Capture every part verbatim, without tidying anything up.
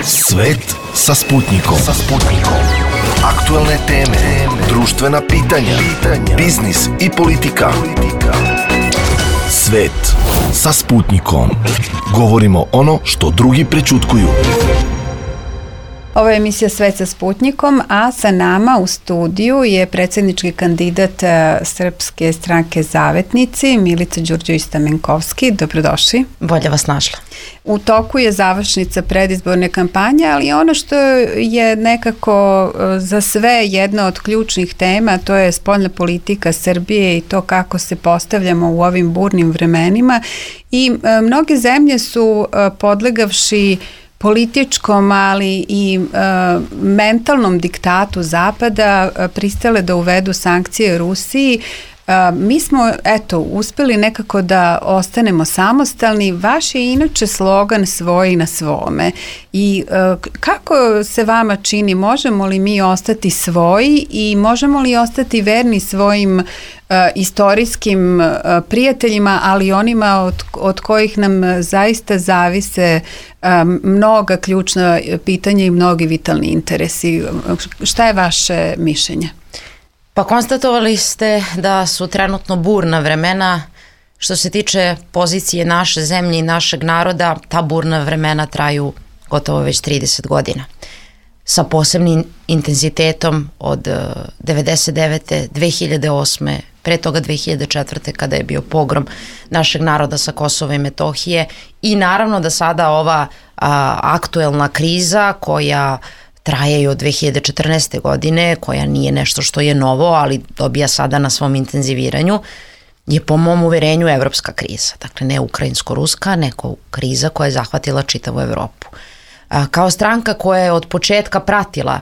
Svet sa Sputnikom. Sa Sputnikom. Aktuelne teme, društvena pitanja, biznis i politika. Svet sa Sputnikom. Govorimo ono što drugi prećutkuju. Ovo je emisija Svet sa Sputnikom, a sa nama u studiju je predsjednički kandidat Srpske stranke Zavetnici, Milica Đurđević-Stamenkovski. Dobrodošli. Bolje vas našla. U toku je završnica predizborne kampanje, ali ono što je nekako za sve jedna od ključnih tema, to je spoljna politika Srbije i to kako se postavljamo u ovim burnim vremenima. I mnoge zemlje su podlegavši političkom, ali i e, mentalnom diktatu Zapada e, pristale da uvedu sankcije Rusiji. E, mi smo, eto, uspeli nekako da ostanemo samostalni. Vaš je inače slogan svoji na svome. I e, kako se vama čini, možemo li mi ostati svoji i možemo li ostati verni svojim e, istorijskim e, prijateljima, ali onima od, od kojih nam zaista zavise mnoga ključna pitanja i mnogi vitalni interesi. Šta je vaše mišljenje? Pa konstatovali ste da su trenutno burna vremena. Što se tiče pozicije naše zemlje i našeg naroda, ta burna vremena traju gotovo već trideset godina. Sa posebnim intenzitetom od devedeset devete. dve hiljade osme. pre toga dve hiljade četvrte. kada je bio pogrom našeg naroda sa Kosova i Metohije i naravno da sada ova a, aktuelna kriza koja traje i od dve hiljade četrnaeste. godine, koja nije nešto što je novo, ali dobija sada na svom intenziviranju, je po mom uverenju evropska kriza. Dakle, ne ukrajinsko-ruska, nego kriza koja je zahvatila čitavu Evropu. A, kao stranka koja je od početka pratila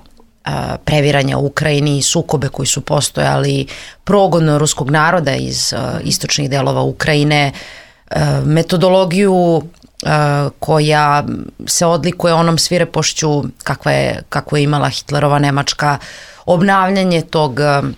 previranja u Ukrajini i sukobe koji su postojali, progon ruskog naroda iz uh, istočnih delova Ukrajine, uh, metodologiju uh, koja se odlikuje onom svirepošću kakva je, kakvu je imala Hitlerova Nemačka, obnavljanje tog uh,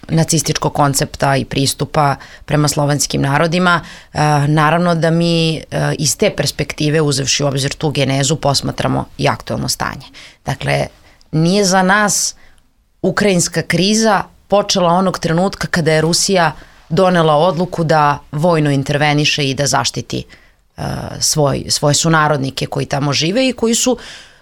nacističkog koncepta i pristupa prema slovenskim narodima. Uh, naravno da mi uh, iz te perspektive, uzevši u obzir tu genezu, posmatramo i aktuelno stanje. Dakle, nije za nas ukrajinska kriza počela onog trenutka kada je Rusija donela odluku da vojno interveniše i da zaštiti uh, svoj, svoje sunarodnike koji tamo žive i koji su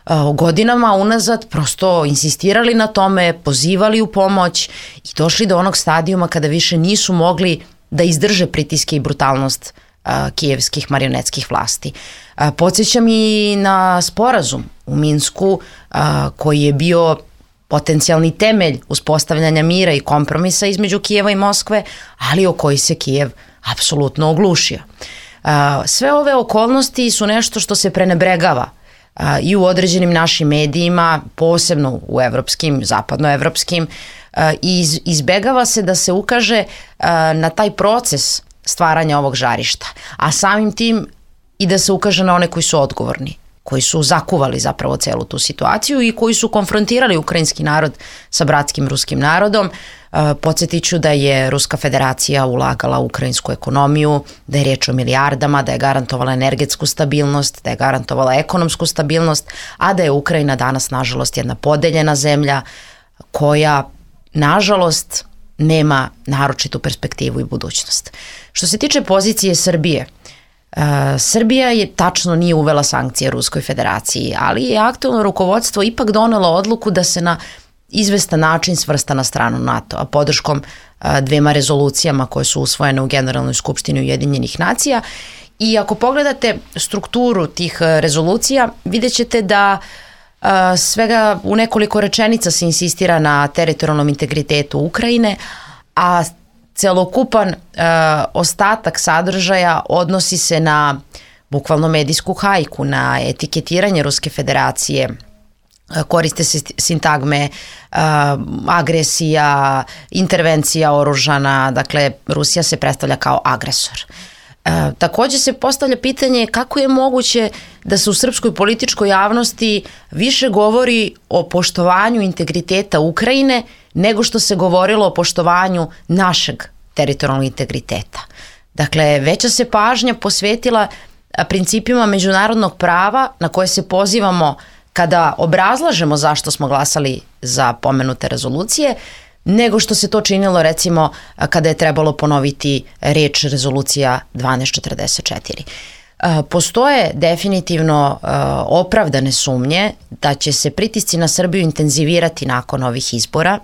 uh, godinama unazad prosto insistirali na tome, pozivali u pomoć i došli do onog stadijuma kada više nisu mogli da izdrže pritiske i brutalnost uh, kijevskih marionetskih vlasti. Uh, podsjećam i na sporazum u Minsku a, koji je bio potencijalni temelj uspostavljanja mira i kompromisa između Kijeva i Moskve, ali o koji se Kijev apsolutno oglušio. A, sve ove okolnosti su nešto što se prenebregava a, i u određenim našim medijima, posebno u evropskim, zapadnoevropskim, a, i iz, izbegava se da se ukaže a, na taj proces stvaranja ovog žarišta, a samim tim i da se ukaže na one koji su odgovorni, koji su zakuvali zapravo celu tu situaciju i koji su konfrontirali ukrajinski narod sa bratskim ruskim narodom. E, podsjetit ću da je Ruska federacija ulagala u ukrajinsku ekonomiju, da je riječ o milijardama, da je garantovala energetsku stabilnost, da je garantovala ekonomsku stabilnost, a da je Ukrajina danas, nažalost, jedna podeljena zemlja koja, nažalost, nema naročitu perspektivu i budućnost. Što se tiče pozicije Srbije, Uh, Srbija je tačno nije uvela sankcije Ruskoj federaciji, ali je aktuelno rukovodstvo ipak donelo odluku da se na izvestan način svrsta na stranu NATO, a podrškom uh, dvema rezolucijama koje su usvojene u Generalnoj skupštini Ujedinjenih nacija. I ako pogledate strukturu tih uh, rezolucija, vidjet ćete da uh, svega u nekoliko rečenica se insistira na teritorijalnom integritetu Ukrajine, a celokupan e, ostatak sadržaja odnosi se na bukvalno medijsku hajku, na etiketiranje Ruske federacije. E, koriste se sintagme e, agresija, intervencija oružana, dakle Rusija se predstavlja kao agresor. E, također se postavlja pitanje kako je moguće da se u srpskoj političkoj javnosti više govori o poštovanju integriteta Ukrajine nego što se govorilo o poštovanju našeg teritorijalnog integriteta. Dakle, veća se pažnja posvetila principima međunarodnog prava na koje se pozivamo kada obrazlažemo zašto smo glasali za pomenute rezolucije, nego što se to činilo recimo kada je trebalo ponoviti reč rezolucija dvanaest četrdeset četiri. Postoje definitivno opravdane sumnje da će se pritisci na Srbiju intenzivirati nakon ovih izbora,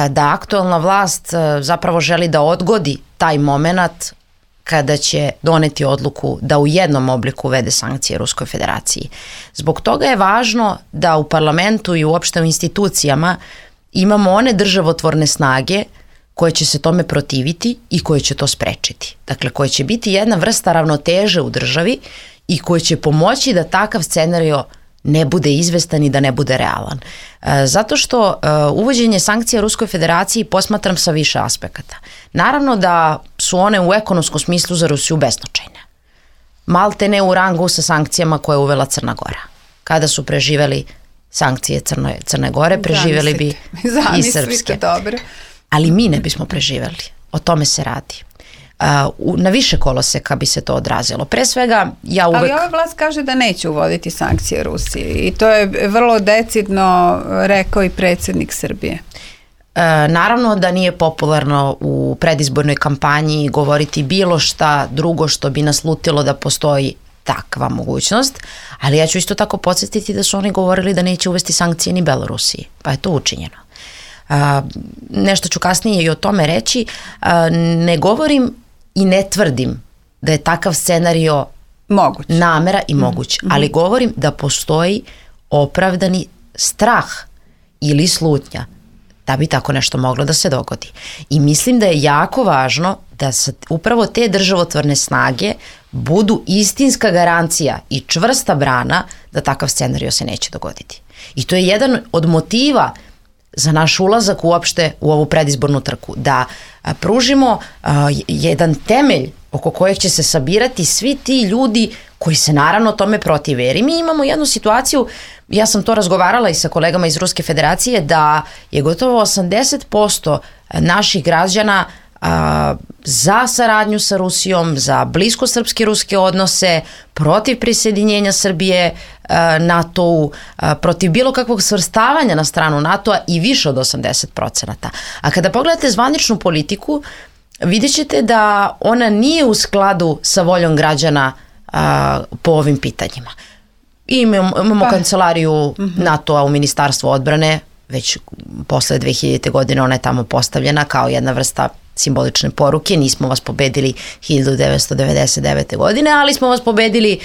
da aktualna vlast zapravo želi da odgodi taj moment kada će doneti odluku da u jednom obliku uvede sankcije Ruskoj federaciji. Zbog toga je važno da u parlamentu i uopšte u institucijama imamo one državotvorne snage koje će se tome protiviti i koje će to sprečiti. Dakle, koje će biti jedna vrsta ravnoteže u državi i koje će pomoći da takav scenario ne bude izvestan i da ne bude realan. E, zato što e, uvođenje sankcija Ruskoj federaciji posmatram sa više aspekata. Naravno da su one u ekonomskom smislu za Rusiju beznačajne. Malte ne u rangu sa sankcijama koje je uvela Crna Gora. Kada su preživeli sankcije Crne, Crne Gore, preživeli bi i srpske. Dobro. Ali mi ne bismo preživeli. O tome se radi. Uh, na više koloseka bi se to odrazilo. Pre svega, ja uvek... Ali ova vlast kaže da neće uvoditi sankcije Rusiji i to je vrlo decidno rekao i predsjednik Srbije. Uh, naravno da nije popularno u predizbornoj kampanji govoriti bilo šta drugo što bi nas lutilo da postoji takva mogućnost, ali ja ću isto tako podsjetiti da su oni govorili da neće uvesti sankcije ni Belorusiji, pa je to učinjeno. Uh, nešto ću kasnije i o tome reći. Uh, ne govorim i ne tvrdim da je takav scenario moguć. namera i moguć, mm-hmm. ali govorim da postoji opravdani strah ili slutnja da bi tako nešto moglo da se dogodi. I mislim da je jako važno da se upravo te državotvorne snage budu istinska garancija i čvrsta brana da takav scenario se neće dogoditi. I to je jedan od motiva za naš ulazak uopšte u ovu predizbornu trku, da a, pružimo a, jedan temelj oko kojeg će se sabirati svi ti ljudi koji se naravno tome protive. Jer mi imamo jednu situaciju, ja sam to razgovarala i sa kolegama iz Ruske federacije, da je gotovo osamdeset posto naših građana a, za saradnju sa Rusijom, za blisko srpske ruske odnose, protiv prisjedinjenja Srbije a, NATO-u, a, protiv bilo kakvog svrstavanja na stranu NATO-a i više od osamdeset procenata. A kada pogledate zvaničnu politiku, vidjet ćete da ona nije u skladu sa voljom građana a, po ovim pitanjima. I imamo, imamo pa. kancelariju mm-hmm. NATO-a u Ministarstvu odbrane, već posle dve hiljadite godine ona je tamo postavljena kao jedna vrsta simbolične poruke. Nismo vas pobedili hiljadu devetsto devedeset devete. godine, ali smo vas pobedili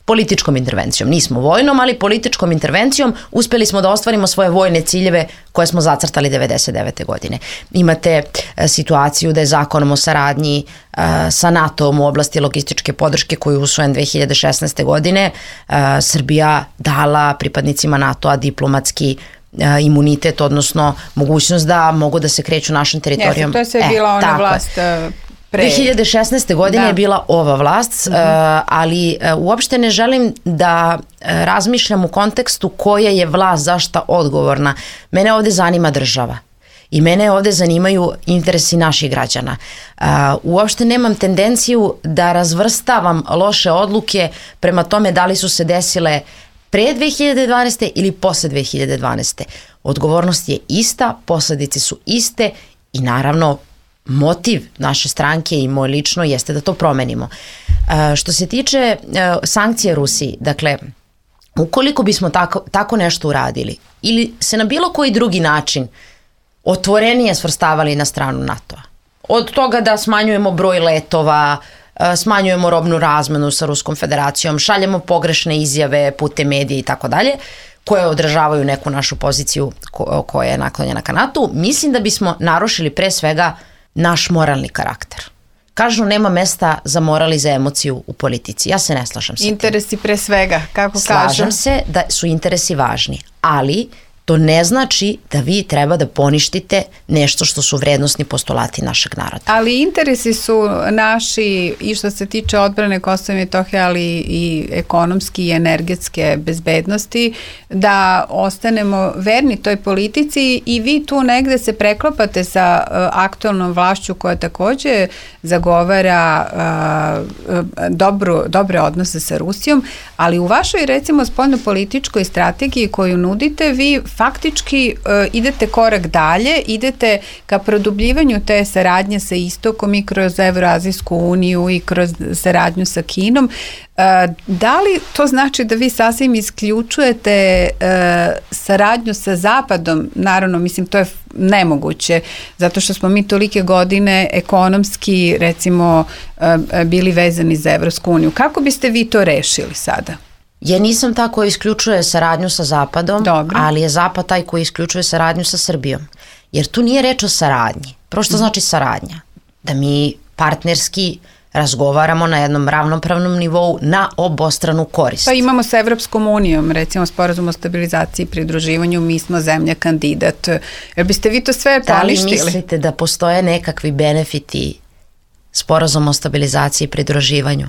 političkom intervencijom. Nismo vojnom, ali političkom intervencijom uspeli smo da ostvarimo svoje vojne ciljeve koje smo zacrtali devedeset devete. godine. Imate e, situaciju da je zakonom o saradnji e, sa NATO-om u oblasti logističke podrške koji je usvojen dve hiljade šesnaeste. godine e, Srbija dala pripadnicima NATO-a diplomatski e, imunitet, odnosno mogućnost da mogu da se kreću našim teritorijom. Jeste, to je sve e, bila ona vlast... Pre. dve hiljade šesnaeste. godine da. je bila ova vlast, mm-hmm. uh, ali uh, uopšte ne želim da uh, razmišljam u kontekstu koja je vlast zašta odgovorna. Mene ovde zanima država i mene ovde zanimaju interesi naših građana. Uh, uopšte nemam tendenciju da razvrstavam loše odluke prema tome da li su se desile pre dve hiljade dvanaeste. ili posle dve hiljade dvanaeste. Odgovornost je ista, posledice su iste i naravno motiv naše stranke i moj lično jeste da to promenimo. E, što se tiče e, sankcije Rusiji, dakle, ukoliko bismo tako, tako nešto uradili ili se na bilo koji drugi način otvorenije svrstavali na stranu NATO-a, od toga da smanjujemo broj letova, e, smanjujemo robnu razmenu sa Ruskom federacijom, šaljemo pogrešne izjave putem medija i tako dalje, koje odražavaju neku našu poziciju ko, koja je naklonjena ka NATO-u, mislim da bismo narušili pre svega naš moralni karakter. Kažu nema mesta za moral i za emociju u politici. Ja se ne slažem sa tim. Interesi pre svega, kako kažu. Slažem se da su interesi važni, ali to ne znači da vi treba da poništite nešto što su vrednosni postulati našeg naroda. Ali interesi su naši i što se tiče odbrane Kosova i Metohije, ali i ekonomski i energetske bezbednosti, da ostanemo verni toj politici i vi tu negde se preklopate sa uh, aktualnom vlašću koja takođe zagovara uh, dobru, dobre odnose sa Rusijom, ali u vašoj recimo spoljnopolitičkoj strategiji koju nudite, vi faktički uh, idete korak dalje, idete ka produbljivanju te saradnje sa Istokom i kroz Evroazijsku uniju i kroz saradnju sa Kinom. Uh, da li to znači da vi sasvim isključujete uh, saradnju sa Zapadom? Naravno, mislim, to je nemoguće, zato što smo mi tolike godine ekonomski, recimo, uh, bili vezani za Evropsku uniju. Kako biste vi to rešili sada? Ja nisam ta koja isključuje saradnju sa Zapadom, Dobro. ali je Zapad taj koji isključuje saradnju sa Srbijom. Jer tu nije reč o saradnji. Prvo što znači saradnja? Da mi partnerski razgovaramo na jednom ravnopravnom nivou na obostranu korist. Pa imamo sa Evropskom unijom, recimo sporazum o stabilizaciji i pridruživanju, mi smo zemlja kandidat. Jer biste vi to sve poništili? Da li mislite da postoje nekakvi benefiti sporazum o stabilizaciji i pridruživanju?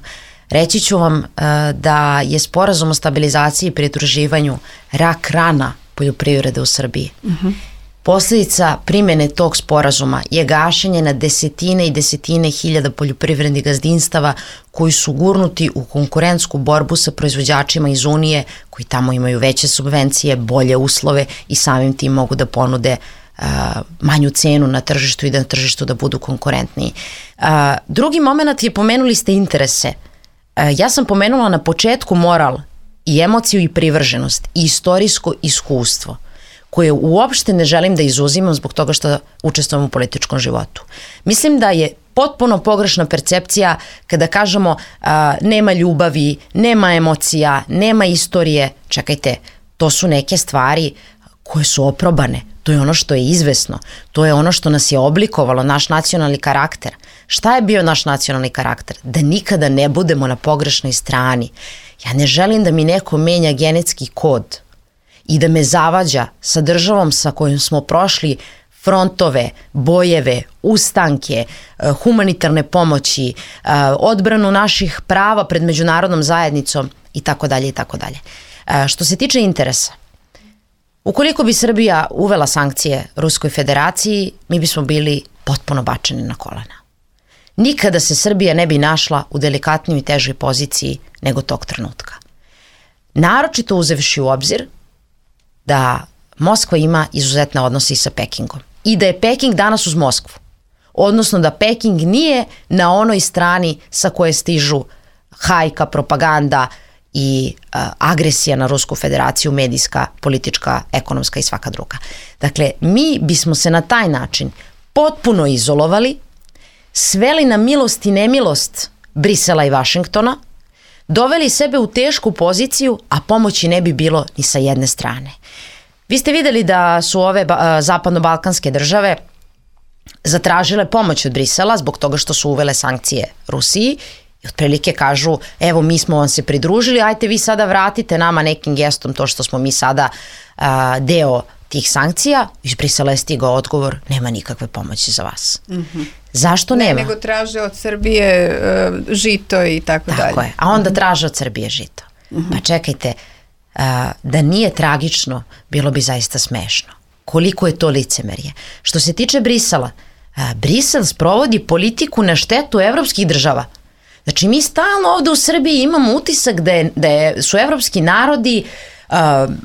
Reći ću vam uh, da je sporazum o stabilizaciji i pridruživanju rak rana poljoprivrede u Srbiji. Uh-huh. Posljedica primjene tog sporazuma je gašenje na desetine i desetine hiljada poljoprivrednih gazdinstava koji su gurnuti u konkurentsku borbu sa proizvođačima iz Unije koji tamo imaju veće subvencije, bolje uslove i samim tim mogu da ponude uh, manju cenu na tržištu i da na tržištu da budu konkurentniji. Uh, drugi moment je, pomenuli ste interese. Ja sam pomenula na početku moral i emociju i privrženost i istorijsko iskustvo koje uopšte ne želim da izuzimam zbog toga što učestvujem u političkom životu. Mislim da je potpuno pogrešna percepcija kada kažemo a, nema ljubavi, nema emocija, nema istorije. Čekajte, to su neke stvari koje su oprobane. To je ono što je izvesno. To je ono što nas je oblikovalo, naš nacionalni karakter. Šta je bio naš nacionalni karakter? Da nikada ne budemo na pogrešnoj strani. Ja ne želim da mi neko menja genetski kod i da me zavađa sa državom sa kojom smo prošli frontove, bojeve, ustanke, humanitarne pomoći, odbranu naših prava pred međunarodnom zajednicom i tako dalje i tako dalje. Što se tiče interesa, ukoliko bi Srbija uvela sankcije Ruskoj federaciji, mi bismo bili potpuno bačeni na kolena. Nikada se Srbija ne bi našla u delikatnijoj i težoj poziciji nego tog trenutka. Naročito uzevši u obzir da Moskva ima izuzetne odnose i sa Pekingom i da je Peking danas uz Moskvu, odnosno da Peking nije na onoj strani sa koje stižu hajka, propaganda i uh, agresija na Rusku federaciju, medijska, politička, ekonomska i svaka druga. Dakle, mi bismo se na taj način potpuno izolovali, sveli na milost i nemilost Brisela i Vašingtona, doveli sebe u tešku poziciju, a pomoći ne bi bilo ni sa jedne strane. Vi ste videli da su ove ba- zapadno-balkanske države zatražile pomoć od Brisela zbog toga što su uvele sankcije Rusiji i otprilike kažu, evo mi smo vam se pridružili, ajte vi sada vratite nama nekim gestom to što smo mi sada uh, deo tih sankcija. Iz Brisela je stigao odgovor, nema nikakve pomoći za vas. Mm-hmm. Zašto ne, nema? Nego traže od Srbije uh, žito i tako, tako dalje. Tako je, a onda traže od Srbije žito. Mm-hmm. Pa čekajte, uh, da nije tragično, bilo bi zaista smešno. Koliko je to licemerje. Što se tiče Brisela, uh, Brisel sprovodi politiku na štetu evropskih država. Znači mi stalno ovde u Srbiji imamo utisak da, je, da je, su evropski narodi uh,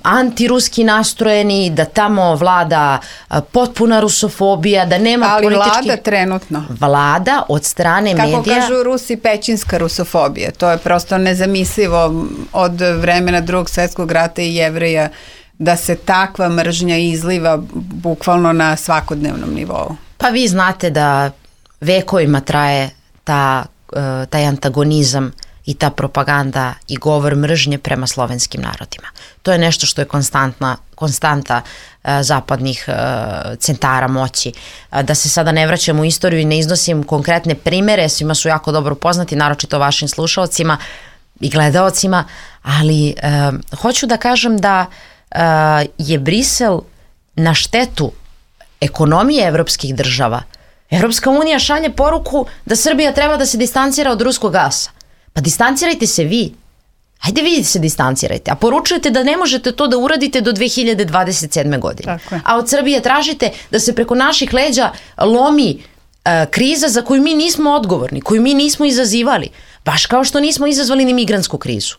antiruski nastrojeni, da tamo vlada uh, potpuna rusofobija, da nema ali politički... Ali vlada trenutno. Vlada od strane Kako medija... Kako kažu Rusi, pećinska rusofobija. To je prosto nezamislivo od vremena Drugog svjetskog rata i Jevreja da se takva mržnja izliva bukvalno na svakodnevnom nivou. Pa vi znate da vekovima traje ta taj antagonizam i ta propaganda i govor mržnje prema slovenskim narodima. To je nešto što je konstantna, konstanta uh, zapadnih uh, centara moći. Uh, da se sada ne vraćam u istoriju i ne iznosim konkretne primere, svima su jako dobro poznati, naročito vašim slušaocima i gledaocima, ali uh, hoću da kažem da uh, je Brisel na štetu ekonomije evropskih država. Evropska unija šalje poruku da Srbija treba da se distancira od ruskog gasa. Pa distancirajte se vi. Hajde vi se distancirajte. A poručujete da ne možete to da uradite do dve hiljade dvadeset sedme. godine. A od Srbije tražite da se preko naših leđa lomi uh, kriza za koju mi nismo odgovorni, koju mi nismo izazivali. Baš kao što nismo izazvali ni migrantsku krizu.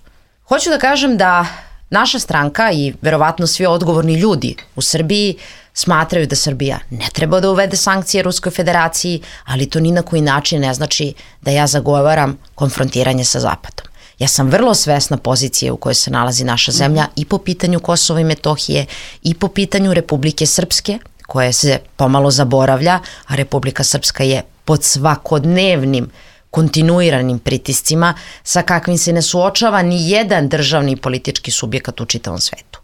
Hoću da kažem da naša stranka i verovatno svi odgovorni ljudi u Srbiji smatraju da Srbija ne treba da uvede sankcije Ruskoj federaciji, ali to ni na koji način ne znači da ja zagovaram konfrontiranje sa Zapadom. Ja sam vrlo svesna pozicije u kojoj se nalazi naša zemlja i po pitanju Kosova i Metohije i po pitanju Republike Srpske, koje se pomalo zaboravlja, a Republika Srpska je pod svakodnevnim kontinuiranim pritiscima sa kakvim se ne suočava ni jedan državni i politički subjekat u čitavom svetu.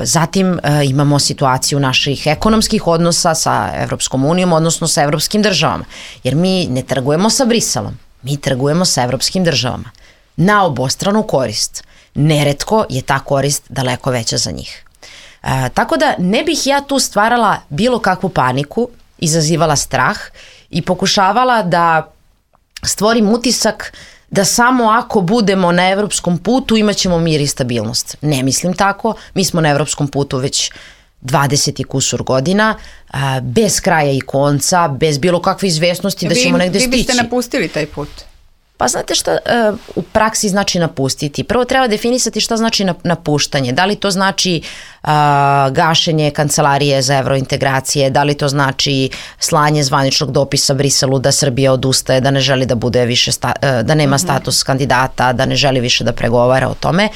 Zatim imamo situaciju naših ekonomskih odnosa sa Evropskom unijom, odnosno sa evropskim državama, jer mi ne trgujemo sa Briselom, mi trgujemo sa evropskim državama na obostranu korist. Neretko je ta korist daleko veća za njih. E, tako da ne bih ja tu stvarala bilo kakvu paniku, izazivala strah i pokušavala da stvorim utisak da samo ako budemo na evropskom putu imat ćemo mir i stabilnost. Ne mislim tako, mi smo na evropskom putu već dvadeset i kusur godina, a, bez kraja i konca, bez bilo kakve izvesnosti da ćemo negde stići. Vi biste napustili taj put? Pa znate šta uh, u praksi znači napustiti? Prvo treba definisati šta znači napuštanje. Da li to znači uh, gašenje kancelarije za evrointegracije, da li to znači slanje zvaničnog dopisa Briselu da Srbija odustaje, da ne želi da bude više sta, uh, da nema status kandidata, da ne želi više da pregovara o tome.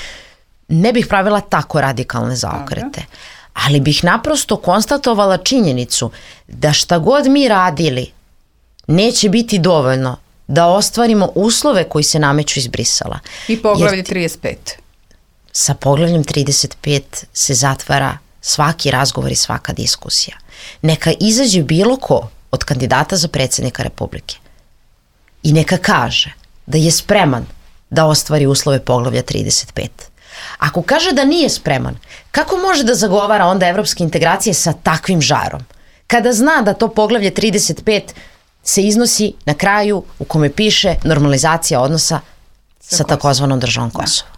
Ne bih pravila tako radikalne zaokrete. Ali bih naprosto konstatovala činjenicu da šta god mi radili neće biti dovoljno da ostvarimo uslove koji se nameću iz Brisela. I poglavlje trideset pet. Sa poglavljem trideset pet se zatvara svaki razgovor i svaka diskusija. Neka izađe bilo ko od kandidata za predsjednika Republike i neka kaže da je spreman da ostvari uslove poglavlja trideset pet. Ako kaže da nije spreman, kako može da zagovara onda evropske integracije sa takvim žarom? Kada zna da to poglavlje trideset pet se iznosi na kraju u kome piše normalizacija odnosa sa takozvanom državom Kosovo.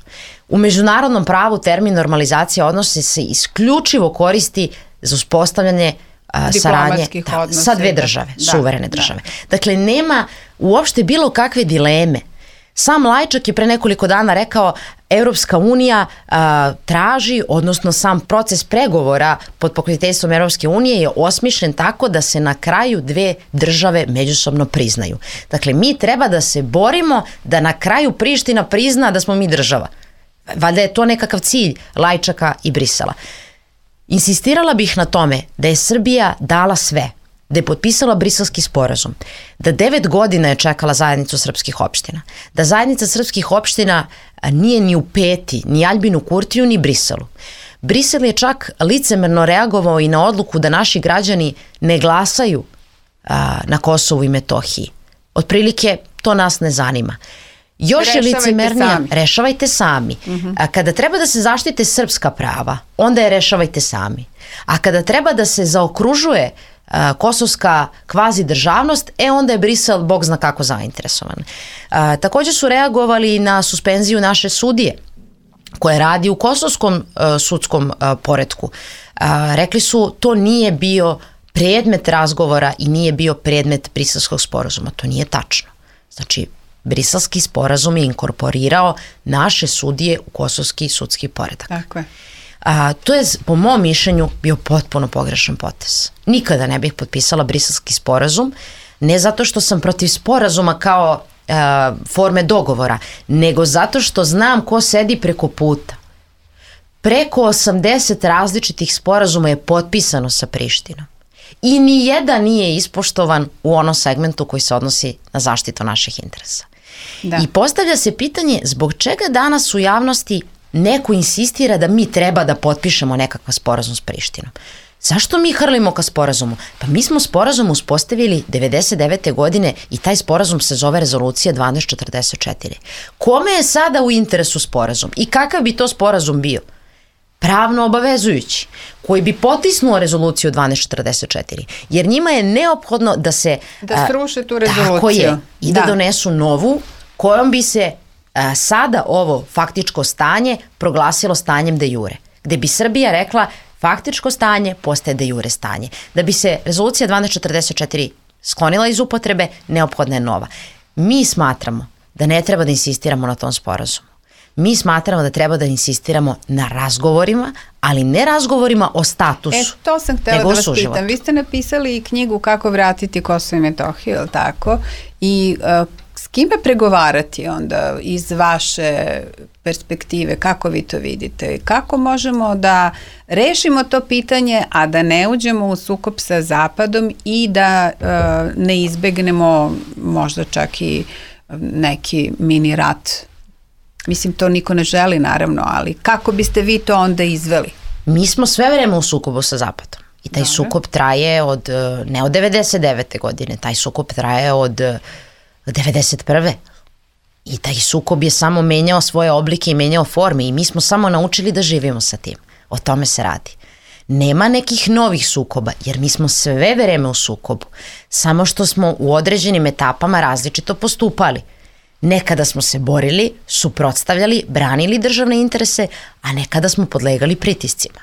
U međunarodnom pravu termin normalizacija odnosa se isključivo koristi za uspostavljanje a, saradnje da, sa dve države, da, suverene da, države. Da. Dakle, nema uopšte bilo kakve dileme. Sam Lajčak je pre nekoliko dana rekao Evropska unija a, traži, odnosno sam proces pregovora pod pokroviteljstvom Evropske unije je osmišljen tako da se na kraju dve države međusobno priznaju. Dakle, mi treba da se borimo da na kraju Priština prizna da smo mi država. Valjda je to nekakav cilj Lajčaka i Brisela. Insistirala bih na tome da je Srbija dala sve, da je potpisala Briselski sporazum, da devet godina je čekala zajednicu srpskih opština, da zajednica srpskih opština nije ni u Peti, ni Aljbinu Kurtiju, ni Briselu. Brisel je čak licemerno reagovao i na odluku da naši građani ne glasaju a, na Kosovu i Metohiji. Otprilike, to nas ne zanima. Još je licemernija, sami. rešavajte sami. Uh-huh. A kada treba da se zaštite srpska prava, onda je rešavajte sami. A kada treba da se zaokružuje a, kosovska kvazi državnost, e onda je Brisel bog zna kako zainteresovan. A, također su reagovali na suspenziju naše sudije koje radi u kosovskom a, sudskom a, poretku. A, rekli su to nije bio predmet razgovora i nije bio predmet Briselskog sporazuma. To nije tačno. Znači, Briselski sporazum je inkorporirao naše sudije u kosovski sudski poredak. Tako je. A, to je, po mom mišljenju, bio potpuno pogrešan potez. Nikada ne bih potpisala Briselski sporazum, ne zato što sam protiv sporazuma kao a, forme dogovora, nego zato što znam ko sedi preko puta. Preko osamdeset različitih sporazuma je potpisano sa Prištinom. I ni jedan nije ispoštovan u onom segmentu koji se odnosi na zaštitu naših interesa. Da. I postavlja se pitanje zbog čega danas u javnosti neko insistira da mi treba da potpišemo nekakav sporazum s Prištinom. Zašto mi hrlimo ka sporazumu? Pa mi smo sporazum uspostavili devedeset devete godine i taj sporazum se zove Rezolucija dvanaest četrdeset četiri. Kome je sada u interesu sporazum i kakav bi to sporazum bio? pravno obavezujući, koji bi potisnuo rezoluciju dvanaest četrdeset četiri, jer njima je neophodno da se... Da sruše tu rezoluciju. Tako je, i da, da donesu novu, kojom bi se a, sada ovo faktičko stanje proglasilo stanjem de jure, gde bi Srbija rekla faktičko stanje postaje de jure stanje. Da bi se rezolucija dvanaest četrdeset četiri sklonila iz upotrebe, neophodna je nova. Mi smatramo da ne treba da insistiramo na tom sporazumu. Mi smatramo da treba da insistiramo na razgovorima, ali ne razgovorima o statusu. E, to sam htjela da vas pitam. Vi ste napisali i knjigu Kako vratiti Kosovo i Metohiju, je li tako? I uh, s kime pregovarati onda iz vaše perspektive? Kako vi to vidite? Kako možemo da rešimo to pitanje, a da ne uđemo u sukob sa Zapadom i da uh, ne izbegnemo možda čak i neki mini rat? Mislim, to niko ne želi, naravno, ali kako biste vi to onda izveli? Mi smo sve vreme u sukobu sa Zapadom. I taj Dobre. sukob traje od, ne od devedeset devete godine, taj sukob traje od devedeset prve. I taj sukob je samo menjao svoje oblike i menjao forme i mi smo samo naučili da živimo sa tim. O tome se radi. Nema nekih novih sukoba, jer mi smo sve vreme u sukobu. Samo što smo u određenim etapama različito postupali. Nekada smo se borili, suprotstavljali, branili državne interese, a nekada smo podlegali pritiscima.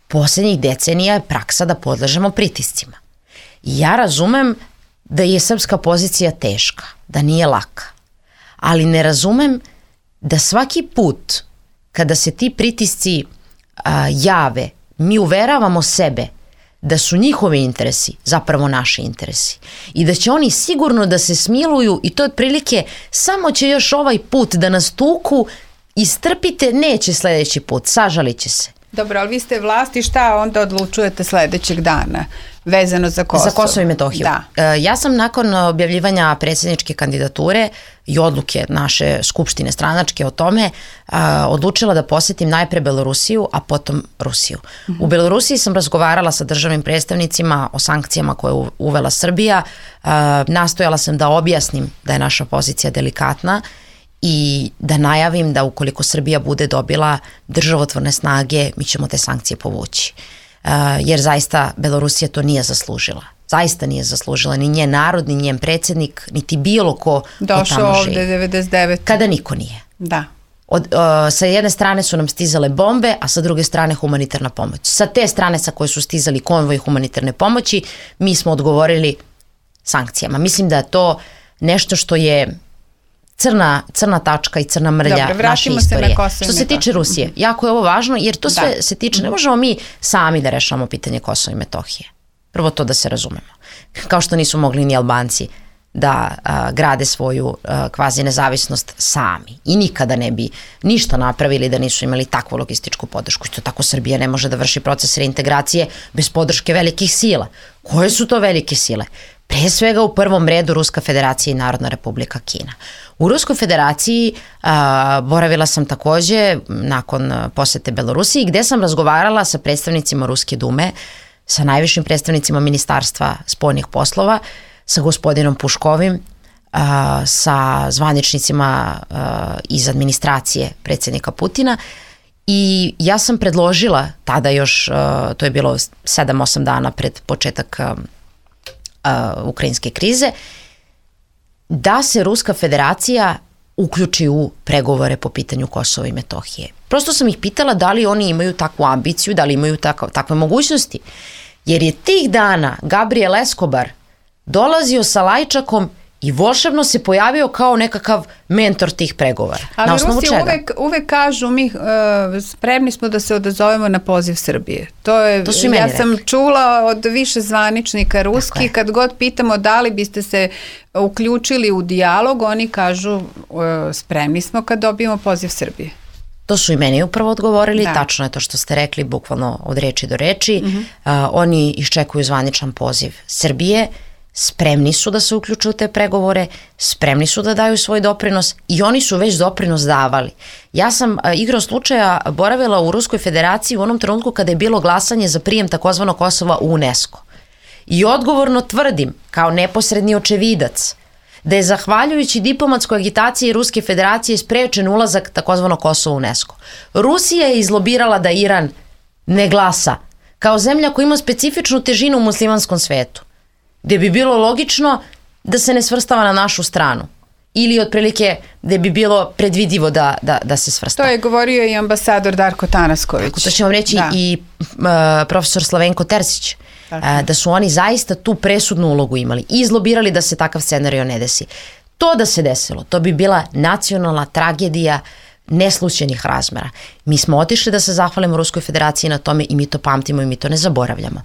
Poslednjih decenija je praksa da podležemo pritiscima. I ja razumem da je srpska pozicija teška, da nije laka, ali ne razumem da svaki put kada se ti pritisci a, jave, mi uveravamo sebe da su njihovi interesi zapravo naši interesi i da će oni sigurno da se smiluju i to otprilike samo će još ovaj put da nas tuku, istrpite, neće sledeći put, sažalit će se. Dobro, ali vi ste vlast i šta onda odlučujete sledećeg dana vezano za Kosovo? Za Kosovo i Metohiju. Da. Ja sam nakon objavljivanja predsjedničke kandidature i odluke naše skupštine stranačke o tome odlučila da posetim najpre Belorusiju, a potom Rusiju. Uh-huh. U Belorusiji sam razgovarala sa državnim predstavnicima o sankcijama koje je uvela Srbija. Nastojala sam da objasnim da je naša pozicija delikatna i da najavim da ukoliko Srbija bude dobila državotvorne snage, mi ćemo te sankcije povući. Uh, jer zaista Belorusija to nije zaslužila. Zaista nije zaslužila ni njen narod, ni njen predsjednik, niti bilo ko došao tamo živi. Ovde devedeset devete. Kada niko nije. Da. Od, uh, sa jedne strane su nam stizale bombe, a sa druge strane humanitarna pomoć. Sa te strane sa koje su stizali konvoj humanitarne pomoći, mi smo odgovorili sankcijama. Mislim da je to nešto što je crna, crna tačka i crna mrlja Dobre, naše istorije. Se što se tiče Rusije, jako je ovo važno jer to sve da. se tiče, ne možemo mi sami da rešamo pitanje Kosova i Metohije. Prvo to da se razumemo. Kao što nisu mogli ni Albanci da a, grade svoju a, kvazi nezavisnost sami i nikada ne bi ništa napravili da nisu imali takvu logističku podršku. Isto tako Srbija ne može da vrši proces reintegracije bez podrške velikih sila. Koje su to velike sile? Pre svega u prvom redu Ruska federacija i Narodna republika Kina. U Ruskoj federaciji a, boravila sam takođe nakon posete Belorusiji gde sam razgovarala sa predstavnicima Ruske dume, sa najvišim predstavnicima Ministarstva spoljnih poslova, sa gospodinom Puškovim, a, sa zvaničnicima a, iz administracije predsjednika Putina i ja sam predložila tada još, a, to je bilo sedam osam dana pred početak a, a, ukrajinske krize, da se Ruska federacija uključi u pregovore po pitanju Kosova i Metohije. Prosto sam ih pitala da li oni imaju takvu ambiciju, da li imaju takav, takve mogućnosti. Jer je tih dana Gabriel Escobar dolazio sa lajčakom i volšebno se pojavio kao nekakav mentor tih pregovora. Ali na osnovu Rusi čega? uvek, uvek kažu mi uh, spremni smo da se odazovemo na poziv Srbije. To je, to su i meni ja rekli. sam čula od više zvaničnika ruskih, kad god pitamo da li biste se uključili u dijalog, oni kažu uh, spremni smo kad dobijemo poziv Srbije. To su i meni upravo odgovorili, da. Tačno je to što ste rekli, bukvalno od reči do reči. Uh-huh. Uh, oni iščekuju zvaničan poziv Srbije, spremni su da se uključuju u te pregovore, spremni su da daju svoj doprinos i oni su već doprinos davali. Ja sam igrom slučaja boravila u Ruskoj federaciji u onom trenutku kada je bilo glasanje za prijem takozvanog Kosova u UNESCO. I odgovorno tvrdim, kao neposredni očevidac, da je zahvaljujući diplomatskoj agitaciji Ruske federacije sprečen ulazak takozvano Kosovo u UNESCO. Rusija je izlobirala da Iran ne glasa kao zemlja koja ima specifičnu težinu u muslimanskom svetu, gde bi bilo logično da se ne svrstava na našu stranu. Ili otprilike da bi bilo predvidivo da, da, da se svrsta. To je govorio i ambasador Darko Tanasković. Tako, to će vam reći da. i uh, profesor Slavenko Terzić. Uh, da su oni zaista tu presudnu ulogu imali i izlobirali da se takav scenario ne desi. To da se desilo, to bi bila nacionalna tragedija neslućenih razmera. Mi smo otišli da se zahvalimo Ruskoj federaciji na tome i mi to pamtimo i mi to ne zaboravljamo.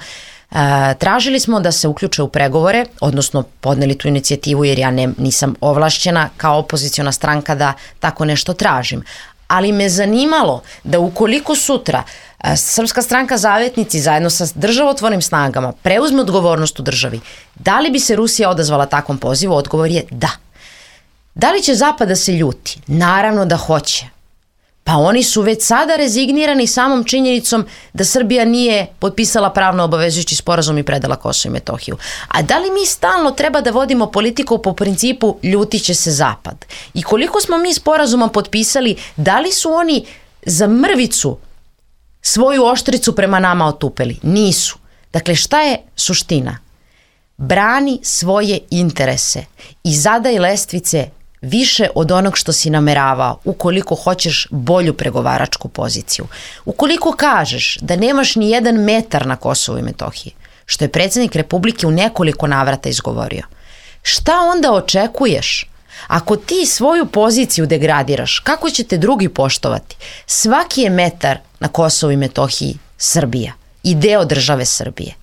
Uh, tražili smo da se uključe u pregovore, odnosno podneli tu inicijativu jer ja ne, nisam ovlašćena kao opoziciona stranka da tako nešto tražim. Ali me zanimalo da ukoliko sutra uh, Srpska stranka Zavetnici zajedno sa državotvornim snagama preuzme odgovornost u državi, da li bi se Rusija odazvala takvom pozivu? Odgovor je da. Da li će Zapad da se ljuti? Naravno da hoće. Pa oni su već sada rezignirani samom činjenicom da Srbija nije potpisala pravno obavezujući sporazum i predala Kosovo i Metohiju. A da li mi stalno treba da vodimo politiku po principu ljutit će se Zapad? I koliko smo mi sporazuma potpisali, da li su oni za mrvicu svoju oštricu prema nama otupeli? Nisu. Dakle, šta je suština? Brani svoje interese i zadaj lestvice više od onog što si nameravao ukoliko hoćeš bolju pregovaračku poziciju. Ukoliko kažeš da nemaš ni jedan metar na Kosovu i Metohiji, što je predsjednik Republike u nekoliko navrata izgovorio, šta onda očekuješ? Ako ti svoju poziciju degradiraš, kako će te drugi poštovati? Svaki je metar na Kosovu i Metohiji Srbija i deo države Srbije.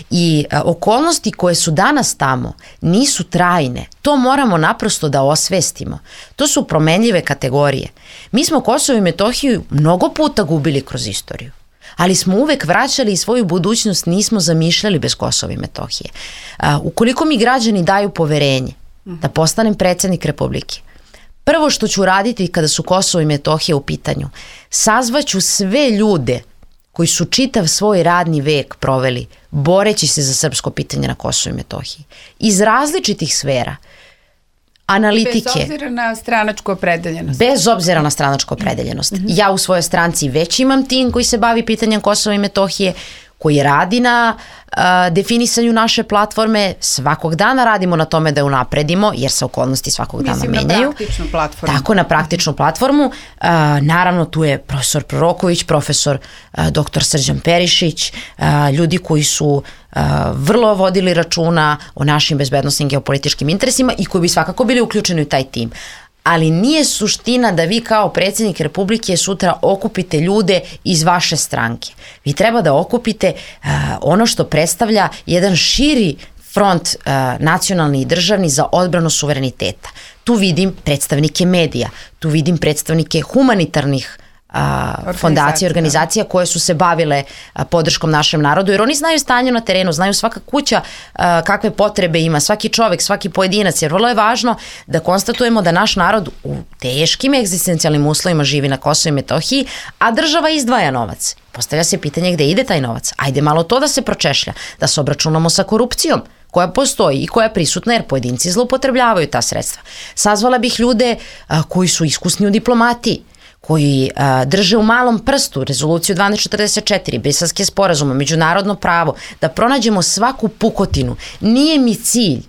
I a, okolnosti koje su danas tamo nisu trajne. To moramo naprosto da osvestimo. To su promenljive kategorije. Mi smo Kosovo i Metohiju mnogo puta gubili kroz istoriju, ali smo uvek vraćali i svoju budućnost nismo zamišljali bez Kosova i Metohije. A, ukoliko mi građani daju poverenje da postanem predsjednik Republike, prvo što ću raditi kada su Kosovo i Metohija u pitanju, sazvaću sve ljude koji su čitav svoj radni vek proveli boreći se za srpsko pitanje na Kosovu i Metohiji. Iz različitih sfera, analitike. Bez obzira na stranačku opredeljenost. Bez obzira na stranačku opredeljenost. Mm-hmm. Ja u svojoj stranci već imam tim koji se bavi pitanjem Kosova i Metohije, koji radi na uh, definisanju naše platforme. Svakog dana radimo na tome da je unapredimo, jer se okolnosti svakog dana Mislim, menjaju. Na praktičnu platformu. Tako, na praktičnu platformu. Uh, naravno, tu je profesor Proroković, profesor uh, doktor Srđan Perišić, uh, ljudi koji su uh, vrlo vodili računa o našim bezbednosnim geopolitičkim interesima i koji bi svakako bili uključeni u taj tim. Ali nije suština da vi kao predsjednik Republike sutra okupite ljude iz vaše stranke. Vi treba da okupite uh, ono što predstavlja jedan širi front uh, nacionalni i državni za odbranu suvereniteta. Tu vidim predstavnike medija, tu vidim predstavnike humanitarnih a, fondacije, organizacija koje su se bavile a, podrškom našem narodu, jer oni znaju stanje na terenu, znaju svaka kuća a, kakve potrebe ima, svaki čovek, svaki pojedinac, jer vrlo je važno da konstatujemo da naš narod u teškim egzistencijalnim uslovima živi na Kosovu i Metohiji, a država izdvaja novac. Postavlja se pitanje gde ide taj novac. Ajde malo to da se pročešlja, da se obračunamo sa korupcijom koja postoji i koja je prisutna jer pojedinci zloupotrebljavaju ta sredstva. Sazvala bih ljude a, koji su iskusni u diplomatiji, koji a, drže u malom prstu rezoluciju dvanaest četrdeset četiri, Briselske sporazume, međunarodno pravo, da pronađemo svaku pukotinu. Nije mi cilj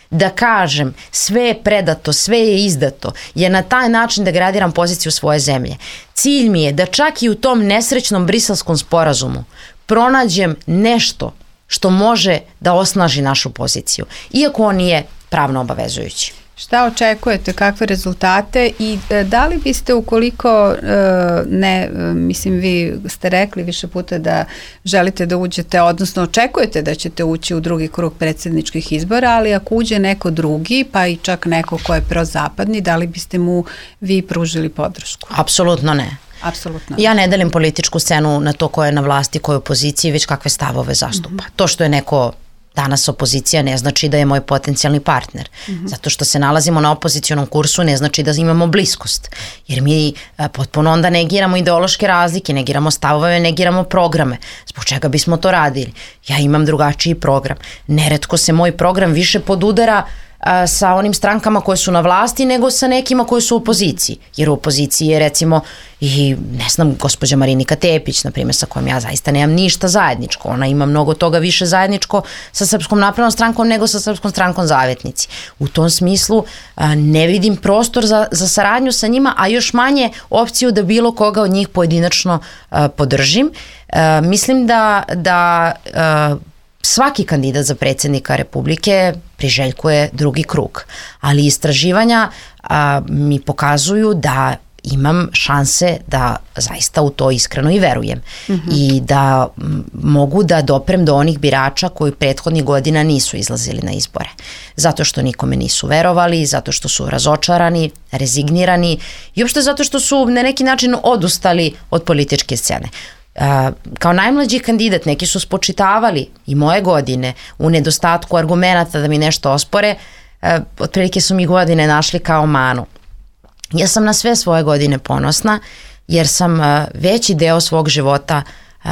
da kažem sve je predato, sve je izdato, jer na taj način degradiram poziciju svoje zemlje. Cilj mi je da čak i u tom nesrećnom Briselskom sporazumu pronađem nešto što može da osnaži našu poziciju, iako on nije pravno obavezujući. Šta očekujete, kakve rezultate i da li biste ukoliko ne, mislim vi ste rekli više puta da želite da uđete, odnosno očekujete da ćete ući u drugi krug predsjedničkih izbora, ali ako uđe neko drugi, pa i čak neko ko je prozapadni, da li biste mu vi pružili podršku? Apsolutno ne. Apsolutno. Ja ne delim političku scenu na to ko je na vlasti, ko je u opoziciji, već kakve stavove zastupa. Mm-hmm. To što je neko danas opozicija ne znači da je moj potencijalni partner. Mm-hmm. Zato što se nalazimo na opozicionom kursu ne znači da imamo bliskost. Jer mi a, potpuno onda negiramo ideološke razlike, negiramo stavove, negiramo programe. Zbog čega bismo to radili? Ja imam drugačiji program. Neretko se moj program više podudara a, sa onim strankama koje su na vlasti, nego sa nekima koji su u opoziciji. Jer u opoziciji je recimo i, ne znam, gospođa Marinika Tepić, na primjer, sa kojom ja zaista nemam ništa zajedničko. Ona ima mnogo toga više zajedničko sa Srpskom naprednom strankom nego sa Srpskom strankom Zavetnici. U tom smislu a, ne vidim prostor za, za saradnju sa njima, a još manje opciju da bilo koga od njih pojedinačno a, podržim. A, mislim da, da a, svaki kandidat za predsjednika Republike priželjkuje drugi krug, ali istraživanja a, mi pokazuju da imam šanse da zaista u to iskreno i verujem. Mm-hmm. I da m, mogu da doprem do onih birača koji prethodnih godina nisu izlazili na izbore. Zato što nikome nisu verovali, zato što su razočarani, rezignirani i uopšte zato što su na neki način odustali od političke scene. Uh, kao najmlađi kandidat neki su spočitavali i moje godine u nedostatku argumenata da mi nešto ospore, uh, otprilike su mi godine našli kao manu. Ja sam na sve svoje godine ponosna jer sam uh, veći deo svog života uh,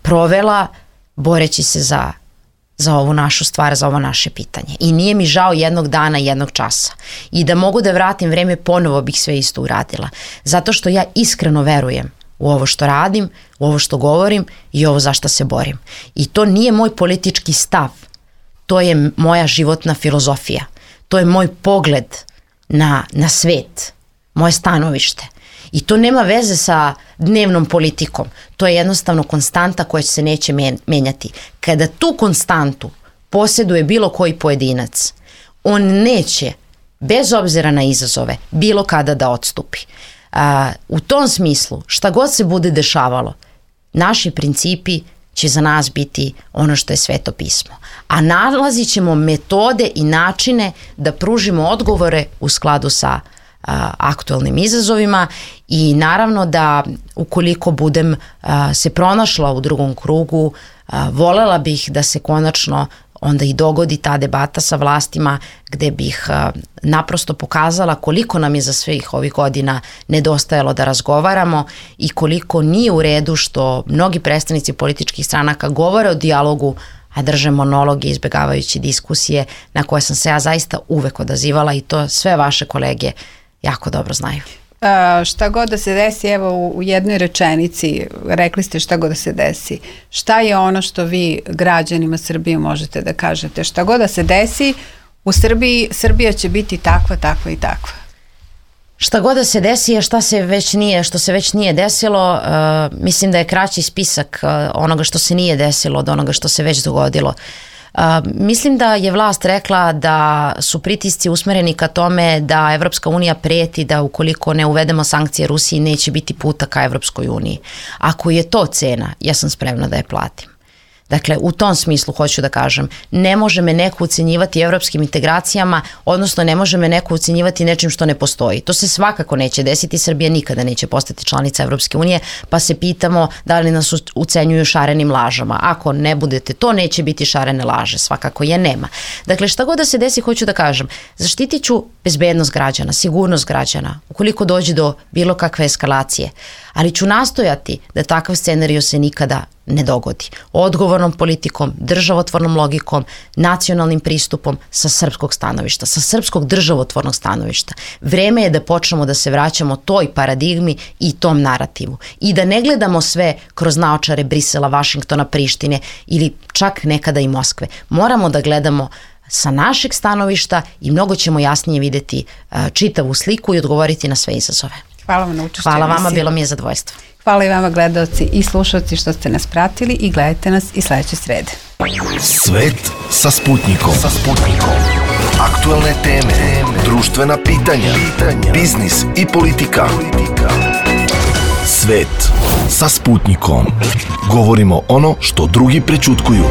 provela boreći se za, za ovu našu stvar, za ovo naše pitanje. I nije mi žao jednog dana, jednog časa. I da mogu da vratim vreme, ponovo bih sve isto uradila. Zato što ja iskreno verujem u ovo što radim, u ovo što govorim i ovo za što se borim. I to nije moj politički stav, to je moja životna filozofija, to je moj pogled na, na svet, moje stanovište. I to nema veze sa dnevnom politikom, to je jednostavno konstanta koja se neće menjati. Kada tu konstantu posjeduje bilo koji pojedinac, on neće, bez obzira na izazove, bilo kada da odstupi. A, u tom smislu, šta god se bude dešavalo, naši principi će za nas biti ono što je Sveto pismo. A nalazit ćemo metode i načine da pružimo odgovore u skladu sa a, aktualnim izazovima i naravno da ukoliko budem a, se pronašla u drugom krugu, a, volela bih da se konačno onda i dogodi ta debata sa vlastima gde bih a, naprosto pokazala koliko nam je za svih ovih godina nedostajalo da razgovaramo i koliko nije u redu što mnogi predstavnici političkih stranaka govore o dijalogu, a drže monologe izbjegavajući diskusije na koje sam se ja zaista uvek odazivala i to sve vaše kolege jako dobro znaju. Uh, šta god da se desi, evo u, u jednoj rečenici, rekli ste šta god da se desi, šta je ono što vi građanima Srbije možete da kažete? Šta god da se desi, u Srbiji, Srbija će biti takva, takva i takva. Šta god da se desi je šta se već nije, što se već nije desilo, uh, mislim da je kraći spisak uh, onoga što se nije desilo od onoga što se već dogodilo. Uh, mislim da je vlast rekla da su pritisci usmereni ka tome da Evropska unija preti da ukoliko ne uvedemo sankcije Rusiji neće biti puta ka Evropskoj uniji. Ako je to cena, ja sam spremna da je platim. Dakle, u tom smislu hoću da kažem, ne može me neko ucenjivati evropskim integracijama, odnosno ne može me neko ucenjivati nečim što ne postoji. To se svakako neće desiti, Srbija nikada neće postati članica Evropske unije, pa se pitamo da li nas ucenjuju šarenim lažama. Ako ne budete, to neće biti šarene laže, svakako je nema. Dakle, šta god da se desi, hoću da kažem, zaštitit ću bezbednost građana, sigurnost građana, ukoliko dođe do bilo kakve eskalacije, ali ću nastojati da takav scenario se nikada ne dogodi. Odgovornom politikom, državotvornom logikom, nacionalnim pristupom sa srpskog stanovišta, sa srpskog državotvornog stanovišta. Vreme je da počnemo da se vraćamo toj paradigmi i tom narativu. I da ne gledamo sve kroz naočare Brisela, Vašingtona, Prištine ili čak nekada i Moskve. Moramo da gledamo sa našeg stanovišta i mnogo ćemo jasnije videti uh, čitavu sliku i odgovoriti na sve izazove. Hvala vam na učešću. Hvala vama, bilo mi je zadovoljstvo. Hvala i vama gledalci i slušalci što ste nas pratili i gledajte nas i sledeće srede. Svet sa Sputnikom. Sa Sputnikom. Aktuelne teme, društvena pitanja, biznis i politika. Svet sa Sputnikom. Govorimo ono što drugi prećutkuju.